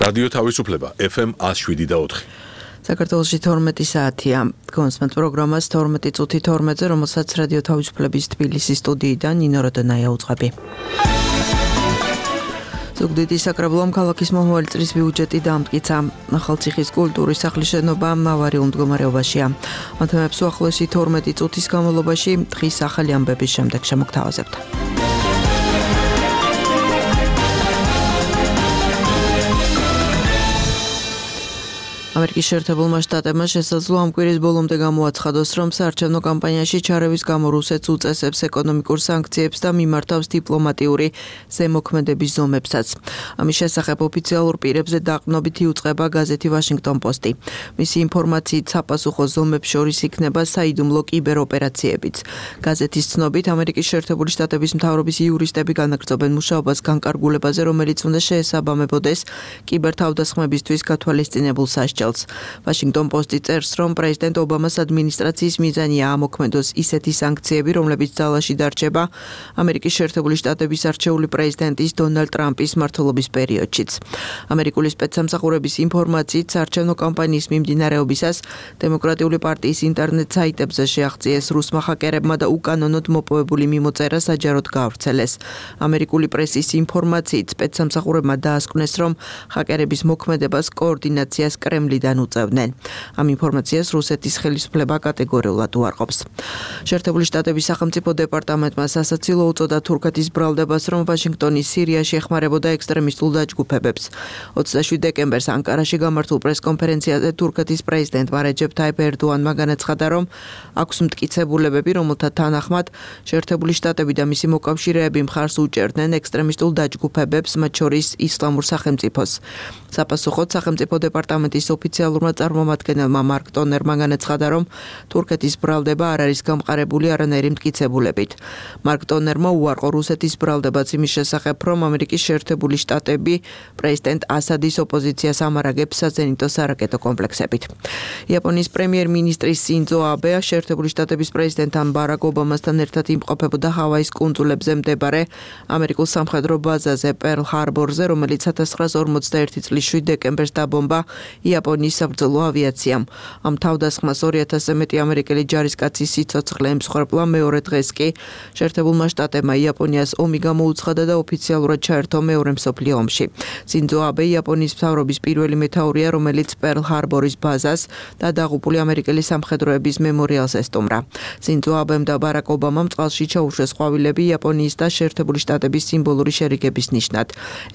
რადიო თავისუფლება FM 107.4. საქართველოში 12 საათია. კონსმენტ პროგრამას 12 წუთი 12-ზე, რომელსაც რადიო თავისუფლების თბილისის სტუდიიდან ნინო როდონაია უძღვები. ზუგდიდის საკრებულომ ქალაქის მომავალი წლის ბიუჯეტი დაამტკიცა. ახალციხის კულტურის სახლის შენობა ავარიულ მდგომარეობაშია. ამ თემებს უახლოესი 12 წუთის განმავლობაში დღის ახალი ამბების შემდეგ შემოგთავაზებთ. ამერიკის შეერთებულმა შტატებმა შესაძლოა ამ კვირის ბოლომდე გამოაცხადოს, რომ საარჩევნო კამპანიაში ჩარევის გამო რუსეთს უწესებს ეკონომიკურ სანქციებს და მიმართავს დიპლომატიური ზემოქმედების ზომებსაც. ამის შესახებ ოფიციალურ პირებზე დაყრდნობით იუწყება გაზეთი ვაშინგტონ პოსტი. მისი ინფორმაციით საპასუხო ზომებს შორის იქნება საიდუმლო კიბეროპერაციებიც. გაზეთის ცნობით, ამერიკის შეერთებული შტატების მთავრობის იურისტები განაგრძობენ მუშაობას განკარგულებაზე, რომელიც უნდა შეესაბამებოდეს კიბერთავდასხმებისთვის გათვალისწინებულ სასჯელს. ვაშინგტონ პოსტი წერს, რომ პრეზიდენტ ობამას ადმინისტრაციის მიზანია ამოქმედოს ისეთი სანქციები, რომლებიც ძალაში დარჩება ამერიკის შეერთებული შტატების არჩეული პრეზიდენტის დონალდ ტრამპის მმართველობის პერიოდშიც. ამერიკული სპეცსამსახურების ინფორმაციით, საარჩევნო კამპანიის მიმდინარეობისას დემოკრატიული პარტიის ინტერნეტ საიტებზე შეაღწიეს რუსმა ჰაკერებმა და უკანონოდ მოპოვებული მიმოწერა საჯაროდ გაავრცელეს. ამერიკული პრესის ინფორმაციით, სპეცსამსახურებმა დაასკვნეს, რომ ჰაკერების მოქმედებას კოორდინაციას კრემლიდან უწევდნენ. ამ ინფორმაციას რუსეთის ხელისუფლება კატეგორიულად უარყოფს. შეერთებული შტატების სახელმწიფო დეპარტამენტმა სასაცილო უწოდა თურქეთის ბრალდებას, რომ ვაშინგტონი სირიაში ეხმარებოდა ექსტრემისტულ დაჯგუფებებს. 27 დეკემბერს ანკარაში გამართულ პრესკონფერენციაზე თურქეთის პრეზიდენტმა რეჯეფ თაიფ ერდოანმა განაცხადა, რომ აქვს მტკიცებულებები, რომელთა თანახმად შეერთებული შტატები და მისი მოკავშირეები მხარს უჭერდნენ ექსტრემისტულ დაჯგუფებებს, მათ შორის ისლამურ სახელმწიფოს. საპასუხოდ სახელმწიფო დეპარტამენტის ოფიციალურმა წარმომადგენელმა მარკ ტონერმა განაცხადა, რომ თურქეთის ბრალდება არ არის გამყარებული არანაირი მტკიცებულებით. მარკ ტონერმა უარყო რუსეთის ბრალდებაც იმის შესახებ, რომ ამერიკის შეერთებული შტატები პრეზიდენტ ასადის ოპოზიციას ამარაგებს საზენიტო სარაკეტო კომპლექსებით. იაპონიის პრემიერ-მინისტრი სინძო აბე შეერთებული შტატების პრეზიდენტთან ბარაკ ობამასთან ერთად იმყოფებოდა ჰავაის კუნძულებზე მდებარე ამერიკულ სამხედრო ბაზაზე პერლ ჰარბორზე, რომელიც 1941 წლის 7 დეკემბერს დაბომბა იაპონიის საბრძოლო ავიაციამ. ამ თავდასხმას 2000-ზე მეტი ამერიკელი ჯარისკაცის სიცოცხლე ემსხვერპლა. მეორე დღეს კი შეერთებულმა შტატებმა იაპონიას ომი გამოუცხადა და ოფიციალურად ჩაერთო მეორე მსოფლიო ომში. სინძო აბე იაპონიის მთავრობის პირველი მეთაურია, რომელიც პერლ ჰარბორის ბაზას და დაღუპული ამერიკელი სამხედროების მემორიალს ესტუმრა. სინძო აბემ და ბარაკ ობამამ წყალში ჩაუშვეს ყვავილები იაპონიის და შეერთებული შტატების სიმბოლური შერიგების ნიშნად.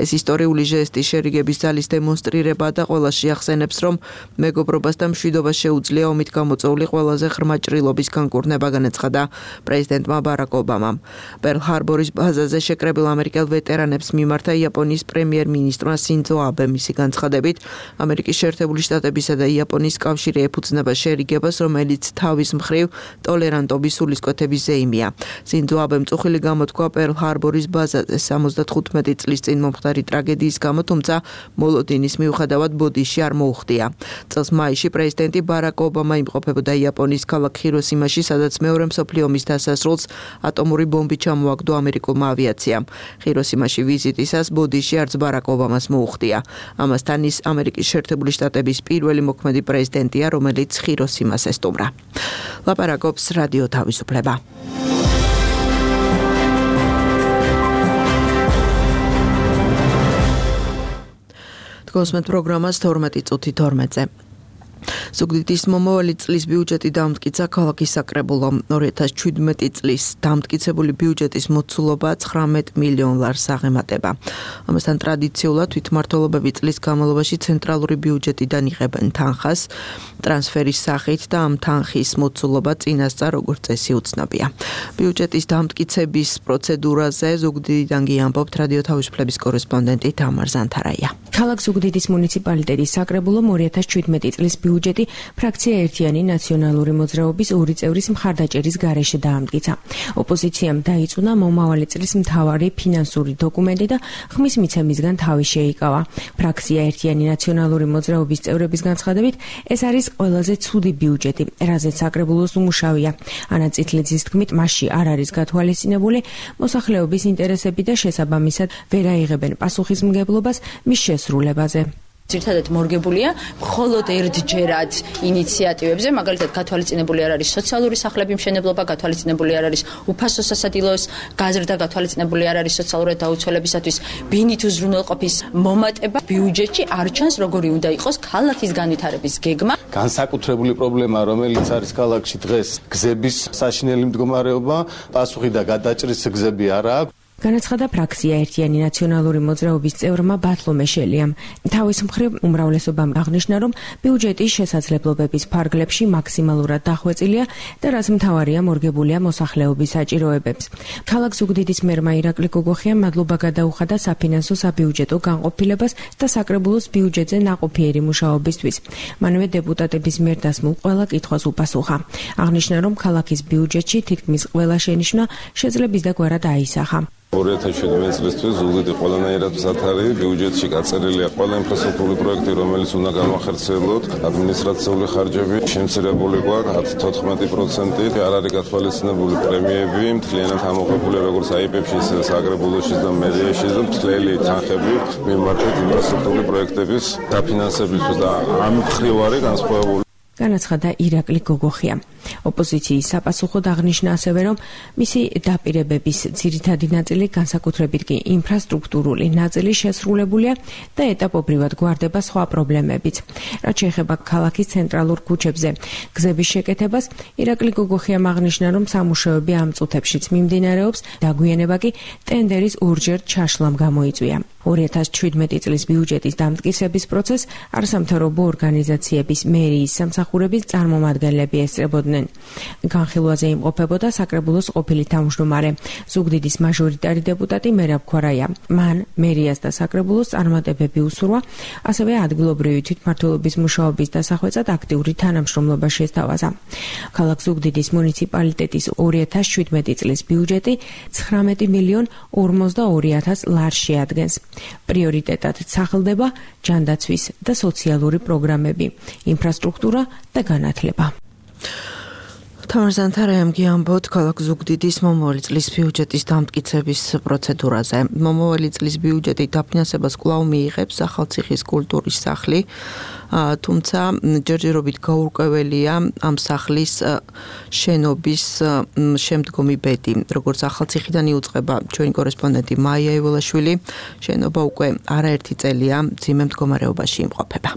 ეს ისტორიული ჟესტი შერიგების ძალის დემონსტრირება და ყველაში ახსენებს, რომ მეგობრობას და მშვიდობას შეუძლია ომით გამოწვეული ყველაზე ღრმა ჭრილობის განკურნება, განაცხადა პრეზიდენტმა ბარაკ ობამამ. პერლ ჰარბორის ბაზაზე შეკრებილ ამერიკელ ვეტერანებს მიმართა იაპონიის პრემიერ-მინისტრმა სინძო აბემ. მისი განცხადებით, ამერიკის შეერთებული შტატებისა და იაპონიის კავშირი ეფუძნება შერიგებას, რომელიც თავის მხრივ ტოლერანტობის სულისკვეთების ზეიმია. სინძო აბემ წუხილი გამოთქვა პერლ ჰარბორის ბაზაზე 75 წლის წინ მომხდარი ტრაგედიის გამო, თუმცა მოლოდინის მიუხედავად ბოდიში არ მოუხდია. წელს მაისში პრეზიდენტი ბარაკ ობამა იმყოფებოდა იაპონიის ქალაქ ჰიროსიმაში, სადაც მეორე მსოფლიო ომის დასასრულს ატომური ბომბი ჩამოაგდო ამერიკულმა ავიაციამ. ჰიროსიმაში ვიზიტისას ბოდიში არც ბარაკ ობამას მოუხდია. ამასთან ის ამერიკის შეერთებული შტატების პირველი მოქმედი პრეზიდენტია, რომელიც ჰიროსიმას ესტუმრა. ლაპარაკობს რადიო თავისუფლება. კონსმენტ პროგრამას 12 წუთი 12-ზე. ზუგდიდის მომავალი წლის ბიუჯეტი დაამტკიცა ქალაქის საკრებულომ. 2017 წლის დამტკიცებული ბიუჯეტის მოცულობა 19 მილიონ ლარს აღემატება. ამასთან ტრადიციულად თვითმმართველობები წლის განმავლობაში ცენტრალური ბიუჯეტიდან იღებენ თანხას ტრანსფერის სახით და ამ თანხის მოცულობა წინასწარ როგორც წესი უცნობია. ბიუჯეტის დამტკიცების პროცედურაზე ზუგდიდიდან ამბობთ რადიო თავისუფლების კორესპონდენტი თამარ ზანთარაია. ქალაქ ზუგდიდის მუნიციპალიტეტის საკრებულომ 2017 წლის ბიუჯეტი ფრაქცია ერთიანი ნაციონალური მოძრაობის 2 წევრის მხარდაჭერის გარეშე დაამტკიცა. ოპოზიციამ დაიწუნა მომავალი წლის მთავარი ფინანსური დოკუმენტი და ხმის მიცემისგან თავი შეიკავა. ფრაქცია ერთიანი ნაციონალური მოძრაობის წევრების განცხადებით, ეს არის ყველაზე ცუდი ბიუჯეტი, რაზეც საკრებულოს უმუშავია. ანა წითლიძის თქმით, მასში არ არის გათვალისწინებული მოსახლეობის ინტერესები და შესაბამისად ვერ აიღებენ პასუხისმგებლობას მის შესრულებაზე. ძირითადად მორგებულია მხოლოდ ერთჯერად ინიციატივებზე, მაგალითად გათვალისწინებული არ არის სოციალური სახლების მშენებლობა, გათვალისწინებული არ არის უფასო სასადილოს გაზრდა, გათვალისწინებული არ არის სოციალურად დაუცველებისათვის ბინით უზრუნველყოფის მომატება. ბიუჯეტში არ ჩანს როგორი უნდა იყოს ქალაქის განვითარების გეგმა. განსაკუთრებული პრობლემა, რომელიც არის ქალაქში დღეს, გზების საშინელი მდგომარეობა, პასუხი და გადაჭრის გზები არ აქვს. განაცხადა ფრაქცია ერთიანი ნაციონალური მოძრაობის წევრმა ბათლომე შელიამ. თავის მხრივ უმრავლესობამ აღნიშნა, რომ ბიუჯეტის შესაძლებლობების ფარგლებში მაქსიმალურად დახვეწილია და რაც მთავარია მორგებულია მოსახლეობის საჭიროებებს. ქალაქ ზუგდიდის მერმა ირაკლი გოგოხიამ მადლობა გადაუხადა საფინანსო საბიუჯეტო განყოფილებას და საკრებულოს ბიუჯეტზე ნაყოფიერი მუშაობისთვის. მანვე დეპუტატების მიერ დასმულ ყველა კითხვას უპასუხა. აღნიშნა, რომ ქალაქის ბიუჯეტში თითქმის ყველა შენიშვნა შეძლების და გვერად აისახა. 2017 წლისთვის ზუგდიდი ყველანაირად სათარი ბიუჯეტში გაწერილია ყველა ინფრასტრუქტურული პროექტი, რომელიც უნდა განვახერხებლოთ. ადმინისტრაციული ხარჯები შემცირებული გვაქვს 14%, არ არის გათვალისწინებული პრემიები, მთლიანად ამოღებულია როგორც აიპებში, ისე საკრებულოში და მერიაში და მთლელი თანხები მიმართეთ ინფრასტრუქტურული პროექტების დაფინანსებისთვის და ამ მხრივ არის განსხვავებული. განაცხადა ირაკლი გოგოხია. ოპოზიციის საპასუხოდ აღნიშნა ასევე, რომ მისი დაპირებების ძირითადი ნაწილი, განსაკუთრებით კი ინფრასტრუქტურული ნაწილი შესრულებულია და ეტაპობრივად გვარდება სხვა პრობლემებიც. რაც შეეხება ქალაქის ცენტრალურ ქუჩებზე გზების შეკეთებას, ირაკლი გოგოხიამ აღნიშნა, რომ სამუშაოები ამ წუთებშიც მიმდინარეობს, დაგვიანება კი ტენდერის ორჯერ ჩაშლამ გამოიწვია. 2017 წლის ბიუჯეტის დამტკიცების პროცესს არასამთავრობო ორგანიზაციების მერიის სამსახურების წარმომადგენლები ესწრებოდნენ. განხილვაზე იმყოფებოდა საკრებულოს ყოფილი თავმჯდომარე, ზუგდიდის მაჟორიტარი დეპუტატი მერაბ ქვარაია. მან მერიას და საკრებულოს წარმატებები უსურვა, ასევე ადგილობრივი თვითმმართველობის მუშაობის დასახვეწად აქტიური თანამშრომლობა შესთავაზა. ქალაქ ზუგდიდის მუნიციპალიტეტის 2017 წლის ბიუჯეტი 19 მილიონ 42,000 ლარს შეადგენს. პრიორიტეტად სახელდება ჯანდაცვის და სოციალური პროგრამები, ინფრასტრუქტურა და განათლება. თამარ ზანთარაიამ გიამბოთ ქალაქ ზუგდიდის მომავალი წლის ბიუჯეტის დამტკიცების პროცედურაზე. მომავალი წლის ბიუჯეტის დაფინანსებას კვლავ მიიღებს ახალციხის კულტურის სახლი, თუმცა ჯერჯერობით გაურკვეველია ამ სახლის შენობის შემდგომი ბედი. როგორც ახალციხიდან იუწყება ჩვენი კორესპონდენტი მაია ეველაშვილი, შენობა უკვე არაერთი წელია მძიმე მდგომარეობაში იმყოფება.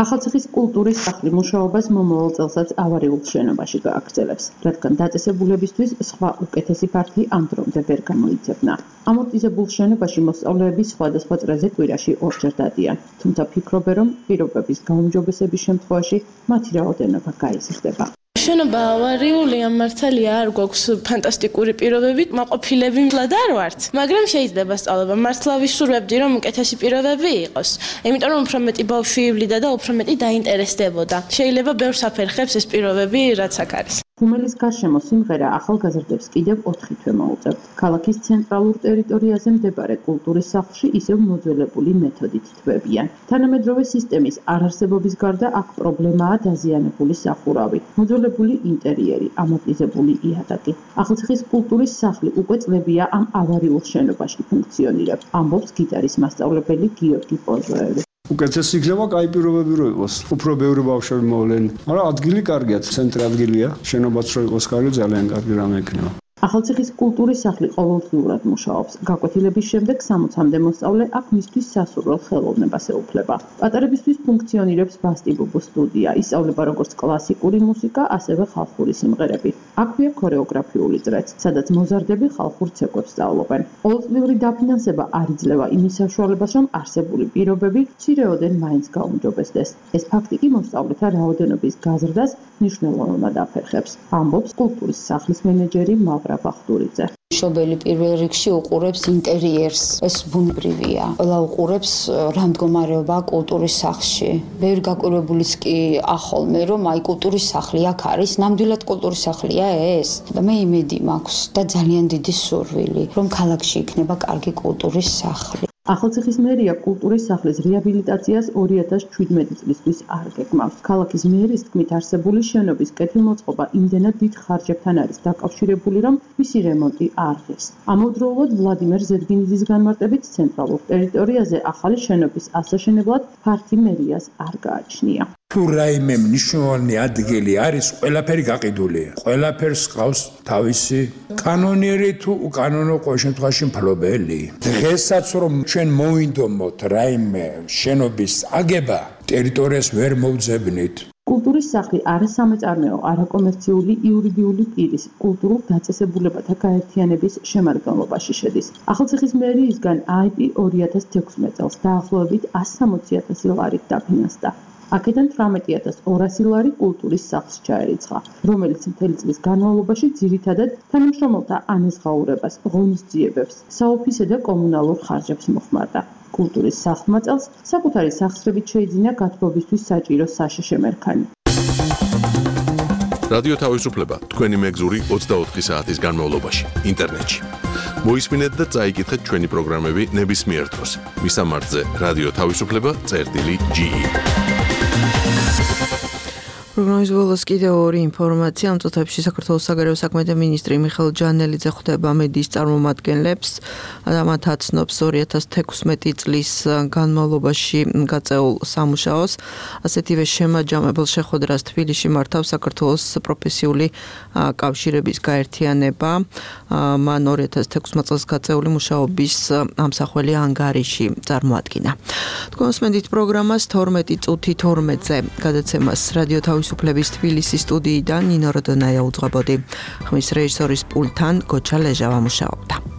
ახალციხის კულტურის სახლი მუშაობას მომავალ წელსაც ავარიულ შენობაში გააგრძელებს, რადგან დაწესებულებისთვის სხვა უკეთესი ფარგლი ამ დრომდე ვერ გამოიცემნა. ამორტიზებულ შენობაში მოსწავლეები სხვადასხვა წრეზე კვირაში ორჯერ დადიან, თუმცა ფიქრობენ, რომ პირობების გაუმჯობესების შემთხვევაში მათი რაოდენობა გაიზრდება. შენობა ავარიულია, მართალია არ გვაქვს ფანტასტიკური პირობები, მაყოფილები მლად არ ვართ, მაგრამ შეიძლება სწავლება. მართლა ვისურვებდი, რომ უკეთესი პირობები იყოს, იმიტომ რომ უფრო მეტი ბავშვი ივლიდა და უფრო მეტი დაინტერესდებოდა. შეიძლება ბევრს აფერხებს ეს პირობები, რაც აქ არის. ღუმელის გარშემო სიმღერა ახალგაზრდებს კიდევ 4 თვე მოუწევთ. ქალაქის ცენტრალურ ტერიტორიაზე მდებარე კულტურის სახლში ისევ მოძველებული მეთოდით თვებიან. თანამედროვე სისტემის არარსებობის გარდა აქ პრობლემაა დაზიანებული სახურავი, მოძველებული ინტერიერი, ამორტიზებული იატაკი. ახალციხის კულტურის სახლი უკვე წლებია ამ ავარიულ შენობაში ფუნქციონირებს, ამბობს გიტარის მასწავლებელი გიორგი პოზოევი. უკეთესი იქნება კაი პირობები რო იყოს. უფრო ბევრი ბავშვები მოვლენ. მაგრამ ადგილი კარგია, ცენტრი ადგილია. შენობაც რო იყოს კარგი, ძალიან კარგი რამე იქნება. ახალციხის კულტურის სახლი ყოველდღიურად მუშაობს. გაკვეთილების შემდეგ 60-მდე მოსწავლე აქ მისთვის სასურველ ხელოვნებას ეუფლება. პატარებისთვის ფუნქციონირებს ბასტიბუბუ სტუდია. ისწავლება როგორც კლასიკური მუსიკა, ასევე ხალხური სიმღერები. აქვეა ქორეოგრაფიული წრეც, სადაც მოზარდები ხალხურ ცეკვებს სწავლობენ. ყოველწლიური დაფინანსება არ იძლევა იმის საშუალებას, რომ არსებული პირობები მცირეოდენ მაინც გაუმჯობესდეს. ეს ფაქტი კი მოსწავლეთა რაოდენობის გაზრდას მნიშვნელოვნად აფერხებს, ამბობს კულტურის სახლის მენეჯერი მავრა ბახტურიძე. მშობელი პირველ რიგში უყურებს ინტერიერს, ეს ბუნებრივია. ყველა უყურებს რა მდგომარეობა კულტურის სახლში. ბევრი გაკვირვებულიც კი ახოლმე, რომ აი კულტურის სახლი აქ არის, ნამდვილად კულტურის სახლია ეს. და მე იმედი მაქვს და ძალიან დიდი სურვილი, რომ ქალაქში იქნება კარგი კულტურის სახლი. ახალციხის მერია კულტურის სახლის რეაბილიტაციას 2017 წლისთვის არ გეგმავს. ქალაქის მერის თქმით, არსებული შენობის კეთილმოწყობა იმდენად დიდ ხარჯებთან არის დაკავშირებული, რომ მისი რემონტი არ ღირს. ამავდროულად ვლადიმერ ზედგინიძის განმარტებით, ცენტრალურ ტერიტორიაზე ახალი შენობის ასაშენებლად ფართი მერიას არ გააჩნია. თუ რაიმე მნიშვნელოვანი ადგილი არის, ყველაფერი გაყიდულია. ყველაფერს ყავს თავისი კანონიერი თუ უკანონო ყოველ შემთხვევაში მფლობელი. დღესაც რომ ჩვენ მოვინდომოთ რაიმე შენობის აგება, ტერიტორიას ვერ მოვძებნით. კულტურის სახლი არასამეწარმეო, არაკომერციული იურიდიული პირის კულტურულ დაწესებულებათა გაერთიანების შემადგენლობაში შედის. ახალციხის მერიისგან IP 2016 წელს დაახლოებით 160,000 ლარით დაფინანსდა. აქედან 18,200 ლარი კულტურის სახლს ჩაერიცხა, რომელიც მთელი წლის განმავლობაში ძირითადად თანამშრომელთა ანაზღაურებას, ღონისძიებებს, საოფისე და კომუნალურ ხარჯებს მოხმარდა. კულტურის სახლმა წელს საკუთარი სახსრებით შეიძინა გათბობისთვის საჭირო საშეშე მერქანი. რადიო თავისუფლება თქვენი მეგზური 24 საათის განმავლობაში ინტერნეტში. მოისმინეთ და წაიკითხეთ ჩვენი პროგრამები ნებისმიერ დროს. მისამართზე რადიო თავისუფლება.ge პროგნოზის ბოლოს კიდევ ორი ინფორმაცია. ამ წუთებში საქართველოს საგარეო საქმეთა მინისტრი მიხეილ ჯანელიძე ხვდება მედიის წარმომადგენლებს და მათ აცნობს 2016 წლის განმავლობაში გაწეულ სამუშაოს. ასეთივე შემაჯამებელ შეხვედრას თბილისში მართავს საქართველოს პროფესიული კავშირების გაერთიანება. მან 2016 წელს გაწეული მუშაობის ამსახველი ანგარიში წარმოადგინა. თქვენ მოსმენთ პროგრამას 12 წუთი 12-ზე გადაცემას რადიო თავისუფლების თბილისის სტუდიიდან ნინო როდონაია უძღვებოდი. ხმის რეჟისორის პულტთან გოჩა ლეჟავა მუშაობდა.